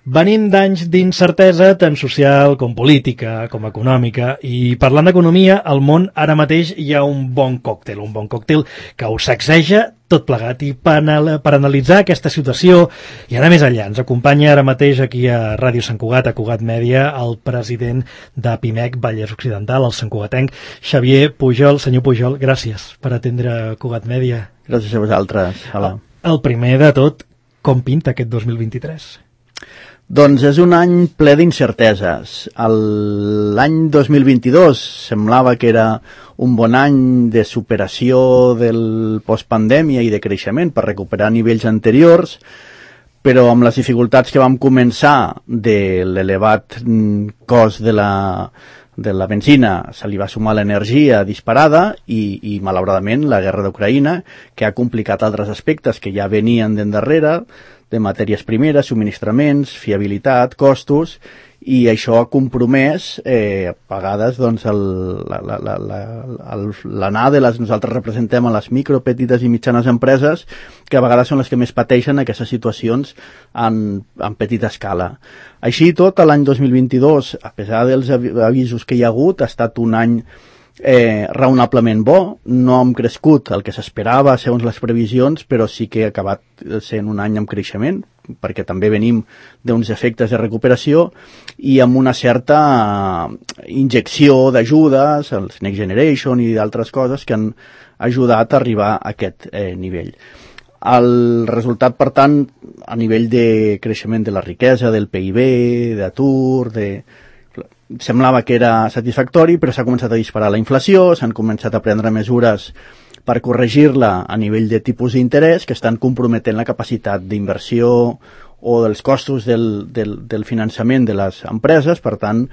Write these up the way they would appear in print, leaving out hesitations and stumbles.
Venim d'anys d'incertesa tant social com política, com econòmica, i parlant d'economia, al món ara mateix hi ha un bon còctel que ho sacseja tot plegat. I per analitzar aquesta situació i anar més enllà, ens acompanya ara mateix aquí a Ràdio Sant Cugat, a Cugat Mèdia, el president de PIMEC Vallès Occidental, el santcugatenc Xavier Pujol. Senyor Pujol, gràcies per atendre Cugat Mèdia. Gràcies a vosaltres. Hola. El primer de tot, com pinta aquest 2023? Doncs és un any ple d'incerteses. L'any 2022 semblava que era un bon any de superació del postpandèmia i de creixement per recuperar nivells anteriors, però amb les dificultats que vam començar de l'elevat cost de la benzina se li va sumar l'energia disparada i malauradament la guerra d'Ucraïna, que ha complicat altres aspectes que ja venien d'endarrere, de matèries primeres, subministraments, fiabilitat, costos, i això ha compromès a vegades doncs, l'anar de les... Nosaltres representem a les micro, petites i mitjanes empreses, que a vegades són les que més pateixen aquestes situacions en petita escala. Així i tot, l'any 2022, a pesar dels avisos que hi ha hagut, ha estat un any raonablement bo. No hem crescut el que s'esperava segons les previsions, però sí que ha acabat sent un any amb creixement, perquè també venim d'uns efectes de recuperació i amb una certa injecció d'ajudes, els Next Generation i d'altres coses que han ajudat a arribar a aquest nivell. El resultat, per tant, a nivell de creixement de la riquesa, del PIB, d'atur, semblava que era satisfactori, però s'ha començat a disparar la inflació, s'han començat a prendre mesures per corregir-la a nivell de tipus d'interès que estan comprometent la capacitat d'inversió o dels costos del finançament de les empreses. Per tant,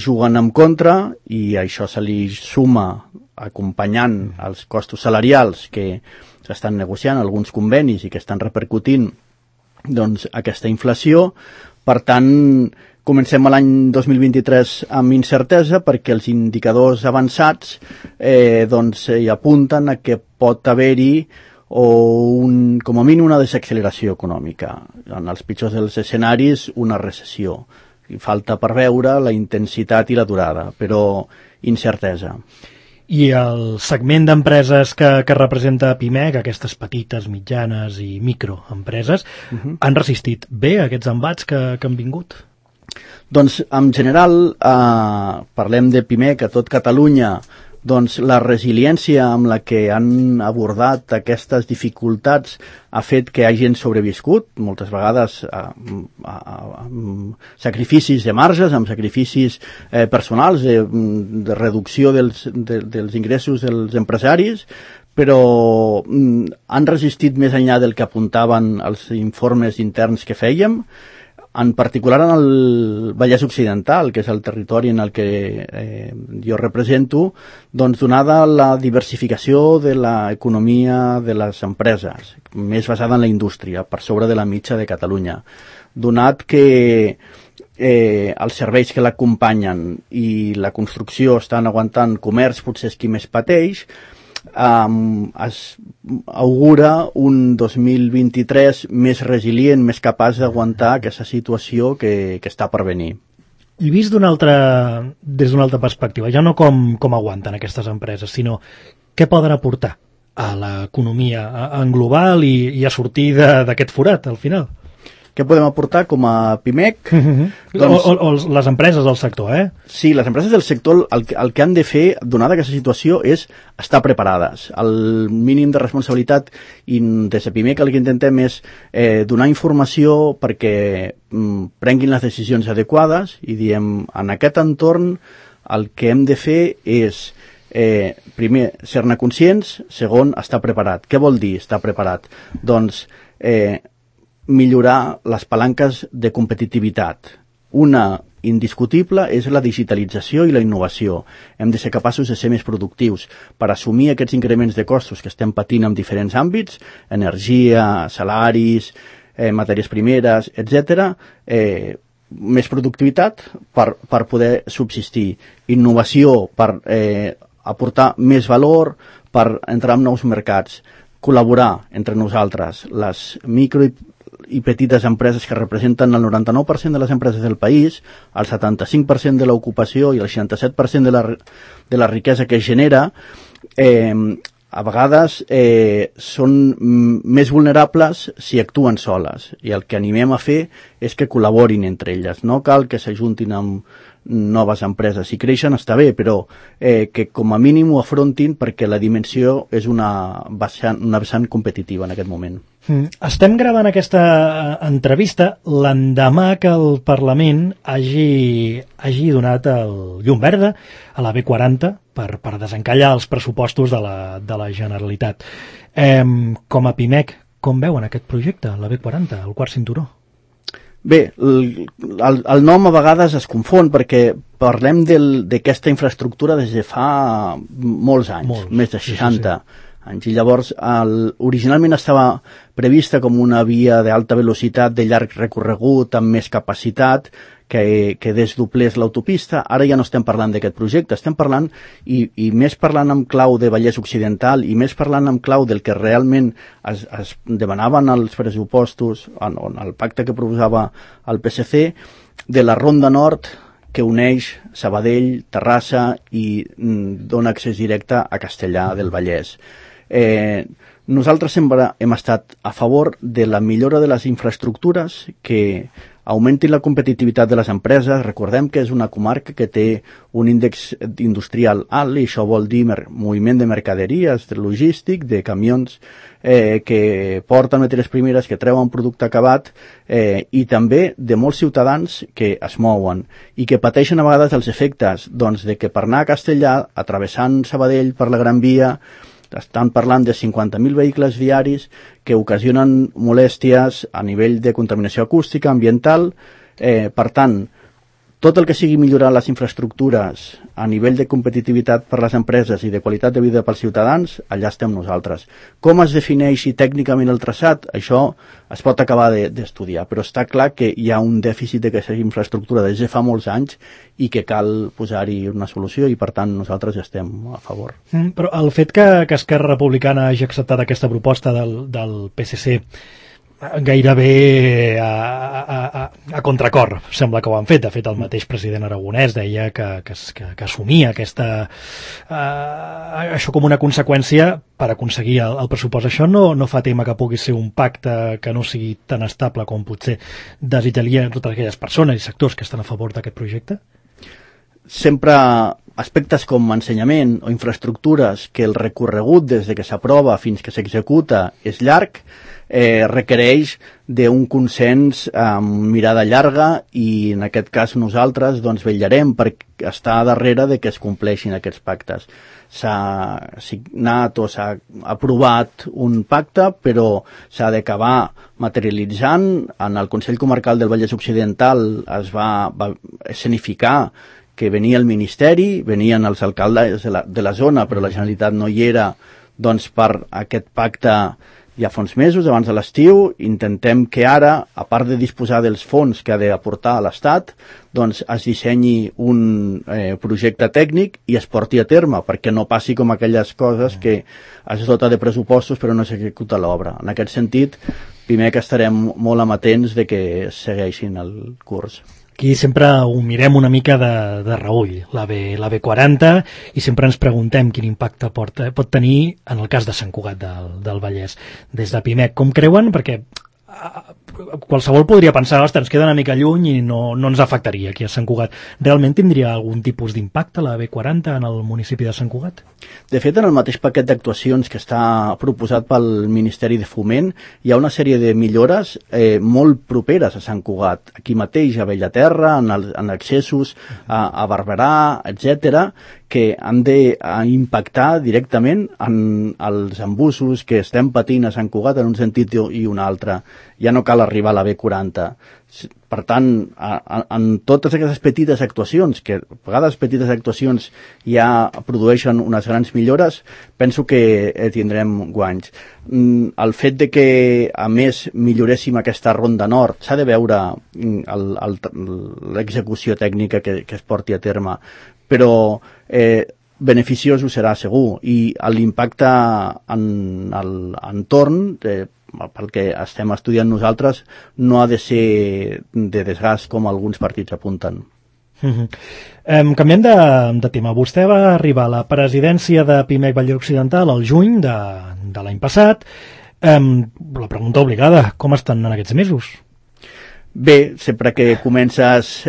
juguen en contra i això se li suma acompanyant els costos salarials que s'estan negociant, alguns convenis i que estan repercutint doncs, aquesta inflació. Per tant, comencem l'any 2023 amb incertesa perquè els indicadors avançats hi apunten a que pot haver-hi com a mínim una desacceleració econòmica. En els pitjors dels escenaris, una recessió. Falta per veure la intensitat i la durada, però incertesa. I el segment d'empreses que representa PIMEC, aquestes petites, mitjanes i microempreses, han resistit bé aquests embats que han vingut? Doncs, en general, parlem de PIMEC a tot Catalunya, doncs la resiliència amb la que han abordat aquestes dificultats ha fet que hagin sobreviscut, moltes vegades amb sacrificis de marges, amb sacrificis personals, de reducció dels ingressos dels empresaris, però han resistit més enllà del que apuntaven els informes interns que fèiem. En particular en el Vallès Occidental, que és el territori en el que jo represento, doncs donada la diversificació de l'economia de les empreses, més basada en la indústria, per sobre de la mitja de Catalunya. Donat que els serveis que l'acompanyen i la construcció estan aguantant comerç, potser és qui més pateix, es augura un 2023 més resilient, més capaç d'aguantar aquesta situació que està per venir. I vist des d'una altra perspectiva, ja no com aguanten aquestes empreses, sinó què poden aportar a l'economia en global i a sortir d'aquest forat, al final? Què podem aportar com a PIMEC? O les empreses del sector, Sí, les empreses del sector el que han de fer, donada aquesta situació, és estar preparades. El mínim de responsabilitat i des de PIMEC el que intentem és donar informació perquè prenguin les decisions adequades i diem, en aquest entorn el que hem de fer és primer, ser-ne conscients, segon, estar preparat. Què vol dir estar preparat? Doncs millorar les palanques de competitivitat. Una indiscutible és la digitalització i la innovació. Hem de ser capaços de ser més productius per assumir aquests increments de costos que estem patint en diferents àmbits, energia, salaris, matèries primeres, etc. Més productivitat per poder subsistir. Innovació per aportar més valor, per entrar en nous mercats. Col·laborar entre nosaltres, les micro i i petites empreses que representen el 99% de les empreses del país, el 75% de l'ocupació i el 67% de la riquesa que es genera, a vegades són més vulnerables si actuen soles, i el que animem a fer és que col·laborin entre elles. No cal que s'ajuntin amb noves empreses. Si creixen està bé, però que com a mínim ho afrontin, perquè la dimensió és una vessant competitiva en aquest moment. Estem gravant aquesta entrevista l'endemà que el Parlament hagi donat el llum verda a la B40 per desencallar els pressupostos de la Generalitat. Com a PIMEC, com veuen aquest projecte, la B40, el quart cinturó? Bé, el nom a vegades es confon perquè parlem d'aquesta infraestructura des de fa molts anys, més de 60 anys, i llavors originalment estava prevista com una via d'alta velocitat de llarg recorregut amb més capacitat que desdoblés l'autopista. Ara ja no estem parlant d'aquest projecte, estem parlant i més parlant en clau de Vallès Occidental i més parlant en clau del que realment es demanaven als pressupostos, en el pacte que proposava el PSC, de la Ronda Nord que uneix Sabadell, Terrassa i dona accés directe a Castellar del Vallès. Nosaltres sempre hem estat a favor de la millora de les infraestructures que augmentin la competitivitat de les empreses. Recordem que és una comarca que té un índex industrial alt i això vol dir moviment de mercaderies, de logístic, de camions que porten matèries primeres, que treuen producte acabat i també de molts ciutadans que es mouen i que pateixen a vegades els efectes de que per anar a Castellar, atravessant Sabadell per la Gran Via, estan parlant de 50.000 vehicles diaris que ocasionen molèsties a nivell de contaminació acústica, ambiental. Per tant, tot el que sigui millorar les infraestructures a nivell de competitivitat per les empreses i de qualitat de vida pels ciutadans, allà estem nosaltres. Com es defineixi tècnicament el traçat, això es pot acabar d'estudiar, però està clar que hi ha un dèficit d'aquesta infraestructura des de fa molts anys i que cal posar-hi una solució i, per tant, nosaltres estem a favor. Però el fet que Esquerra Republicana hagi acceptat aquesta proposta del PSC gairebé a contracor, sembla que ho han fet. De fet, el mateix president Aragonès deia que assumia això com una conseqüència per aconseguir el pressupost. Això no fa tema que pugui ser un pacte que no sigui tan estable com potser desitjarien totes aquelles persones i sectors que estan a favor d'aquest projecte? Sempre aspectes com ensenyament o infraestructures que el recorregut des de que s'aprova fins que s'executa és llarg, requereix d'un consens amb mirada llarga i en aquest cas nosaltres vetllarem per estar darrere de que es compleixin aquests pactes. S'ha signat o s'ha aprovat un pacte, però s'ha d'acabar materialitzant. En el Consell Comarcal del Vallès Occidental es va escenificar que venia el Ministeri, venien els alcaldes de la zona, però la Generalitat no hi era, per aquest pacte ja fa uns mesos, abans de l'estiu. Intentem que ara, a part de disposar dels fons que ha d'aportar a l'Estat, es dissenyi un projecte tècnic i es porti a terme, perquè no passi com aquelles coses que es dota de pressupostos però no s'executa l'obra. En aquest sentit, primer que estarem molt amatents de que segueixin el curs. Aquí sempre ho mirem una mica de reüll, la B40, i sempre ens preguntem quin impacte pot tenir en el cas de Sant Cugat del Vallès. Des de PIMEC, com creuen? Perquè qualsevol podria pensar, ostres, ens queda una mica lluny i no ens afectaria aquí a Sant Cugat. Realment tindria algun tipus d'impacte la B40 en el municipi de Sant Cugat? De fet, en el mateix paquet d'actuacions que està proposat pel Ministeri de Foment hi ha una sèrie de millores molt properes a Sant Cugat. Aquí mateix, a Bellaterra, en accessos a Barberà, etc., que han d'impactar directament en els embussos que estem patint a Sant Cugat en un sentit i un altre. Ja no cal arribar a la B40. Per tant, en totes aquestes petites actuacions, que a vegades petites actuacions ja produeixen unes grans millores, penso que tindrem guanys. El fet de que, a més, milloréssim aquesta Ronda Nord, s'ha de veure l'execució tècnica que es porti a terme, però beneficiós ho serà segur, i l'impacte en l'entorn pel que estem estudiant nosaltres, no ha de ser de desgast com alguns partits apunten. Canviem de tema. Vostè va arribar a la presidència de Pimec Vallès Occidental al juny de l'any passat. La pregunta obligada, com estan en aquests mesos? Bé, sempre que comences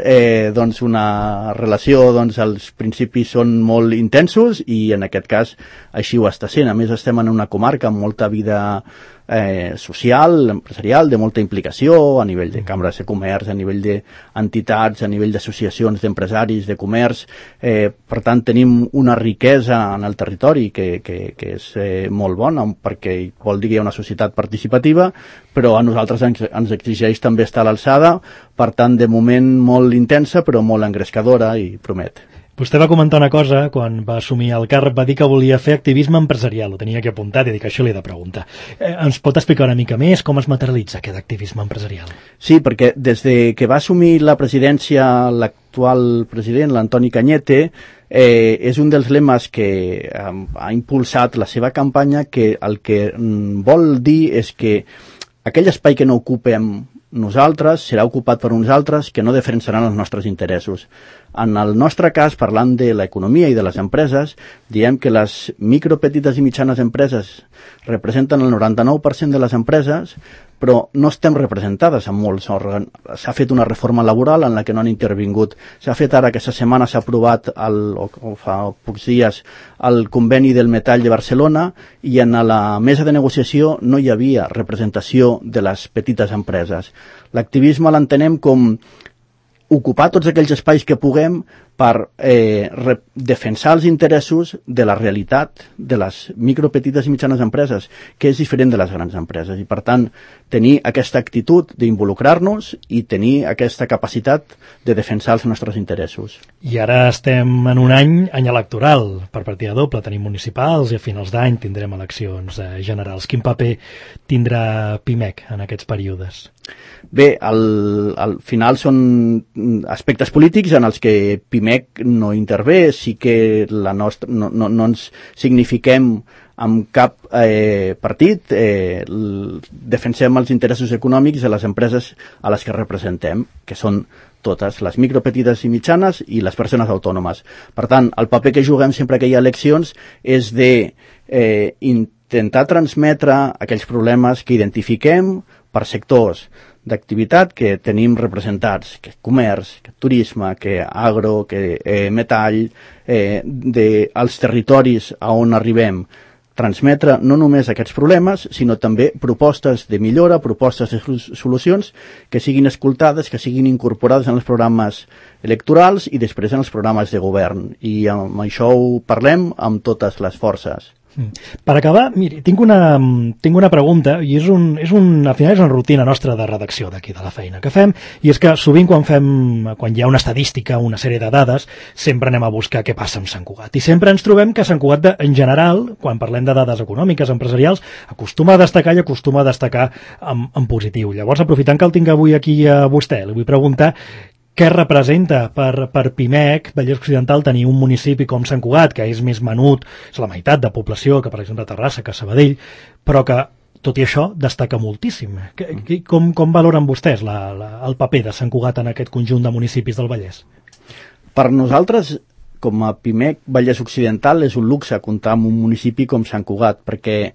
doncs una relació, doncs els principis són molt intensos i en aquest cas així ho està sent. A més estem en una comarca amb molta vida social, empresarial, de molta implicació a nivell de cambres de comerç, a nivell d'entitats, a nivell d'associacions d'empresaris, de comerç. Per tant, tenim una riquesa en el territori que és molt bona perquè vol dir que hi ha una societat participativa, però a nosaltres ens exigeix també estar a l'alçada, per tant, de moment molt intensa, però molt engrescadora i promet. Vostè va comentar una cosa, quan va assumir el càrrec, va dir que volia fer activisme empresarial, ho tenia que apuntar, i dic, això li he de preguntar. Ens pot explicar una mica més com es materialitza aquest activisme empresarial? Sí, perquè des de que va assumir la presidència l'actual president, l'Antoni Cañete, és un dels lemes que ha impulsat la seva campanya, que el que vol dir és que aquell espai que no ocupem nosaltres serà ocupat per uns altres que no defensaran els nostres interessos. En el nostre cas, parlant de l'economia i de les empreses, diem que les micro, petites i mitjanes empreses representen el 99% de les empreses, però no estem representades en molts òrgans. S'ha fet una reforma laboral en la que no han intervingut. S'ha fet ara, aquesta setmana s'ha aprovat, o fa pocs dies, el conveni del metall de Barcelona, i en la mesa de negociació no hi havia representació de les petites empreses. L'activisme l'entenem com ocupar tots aquells espais que puguem per defensar els interessos de la realitat de les micro, petites i mitjanes empreses, que és diferent de les grans empreses. I, per tant, tenir aquesta actitud d'involucrar-nos i tenir aquesta capacitat de defensar els nostres interessos. I ara estem en un any electoral per partida doble. Tenim municipals i a finals d'any tindrem eleccions generals. Quin paper tindrà Pimec en aquests períodes? Bé, al final són aspectes polítics en els que Pimec no intervé, sí que no ens signifiquem amb cap partit, defensem els interessos econòmics de les empreses a les que representem, que són totes, les micro, petites i mitjanes i les persones autònomes. Per tant, el paper que juguem sempre que hi ha eleccions és de intentar transmetre aquells problemes que identifiquem per sectors d'activitat que tenim representats, que comerç, que turisme, que agro, que metall, dels territoris a on arribem, transmetre no només aquests problemes, sinó també propostes de millora, propostes de solucions que siguin escoltades, que siguin incorporades en els programes electorals i després en els programes de govern. I amb això ho parlem amb totes les forces. Per acabar, miri, tinc una pregunta, i al final és una rutina nostra de redacció d'aquí, de la feina que fem, i és que sovint quan hi ha una estadística, una sèrie de dades, sempre anem a buscar què passa amb Sant Cugat. I sempre ens trobem que Sant Cugat, en general, quan parlem de dades econòmiques, empresarials, acostuma a destacar en positiu. Llavors, aprofitant que el tinc avui aquí a vostè, li vull preguntar què representa per Pimec, Vallès Occidental, tenir un municipi com Sant Cugat, que és més menut, és la meitat de població que, per exemple, Terrassa, que Sabadell, però que, tot i això, destaca moltíssim. Com valoren vostès el paper de Sant Cugat en aquest conjunt de municipis del Vallès? Per nosaltres, com a Pimec Vallès Occidental, és un luxe comptar amb un municipi com Sant Cugat, perquè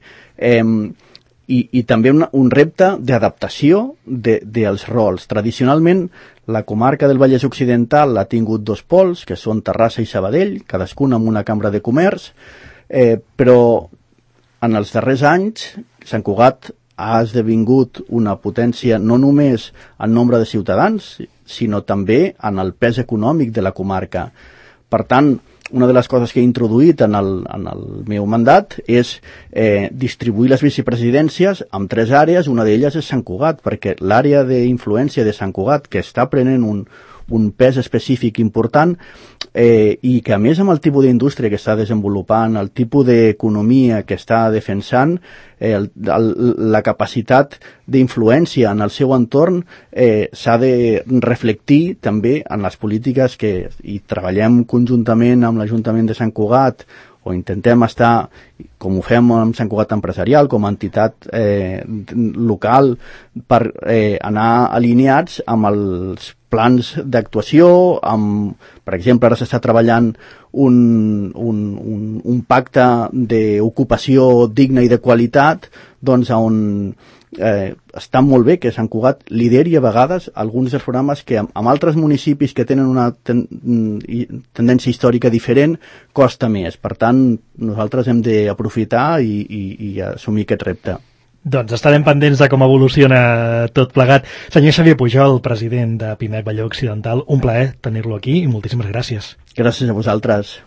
i també un repte d'adaptació dels rols. Tradicionalment, la comarca del Vallès Occidental ha tingut dos pols, que són Terrassa i Sabadell, cadascun amb una cambra de comerç, però en els darrers anys Sant Cugat ha esdevingut una potència no només en nombre de ciutadans, sinó també en el pes econòmic de la comarca. Per tant, una de les coses que he introduït en el meu mandat és distribuir les vicepresidències en 3 àrees. Una d'elles és Sant Cugat, perquè l'àrea d'influència de Sant Cugat, que està prenent un pes específic important, i que a més amb el tipus d'indústria que està desenvolupant, el tipus d'economia que està defensant, la capacitat d'influència en el seu entorn s'ha de reflectir també en les polítiques que hi treballem conjuntament amb l'Ajuntament de Sant Cugat o intentem estar, com ho fem amb Sant Cugat Empresarial, com a entitat local, per anar alineats amb els plans d'actuació, per exemple, ara s'està treballant un pacte d'ocupació digna i de qualitat, doncs on està molt bé que Sant Cugat lideri a vegades alguns dels programes que amb altres municipis que tenen una tendència històrica diferent costa més. Per tant, nosaltres hem d'aprofitar i assumir aquest repte. Doncs estarem pendents de com evoluciona tot plegat. Senyor Xavier Pujol, president de Pimec Valló Occidental, un plaer tenir-lo aquí i moltíssimes gràcies. Gràcies a vosaltres.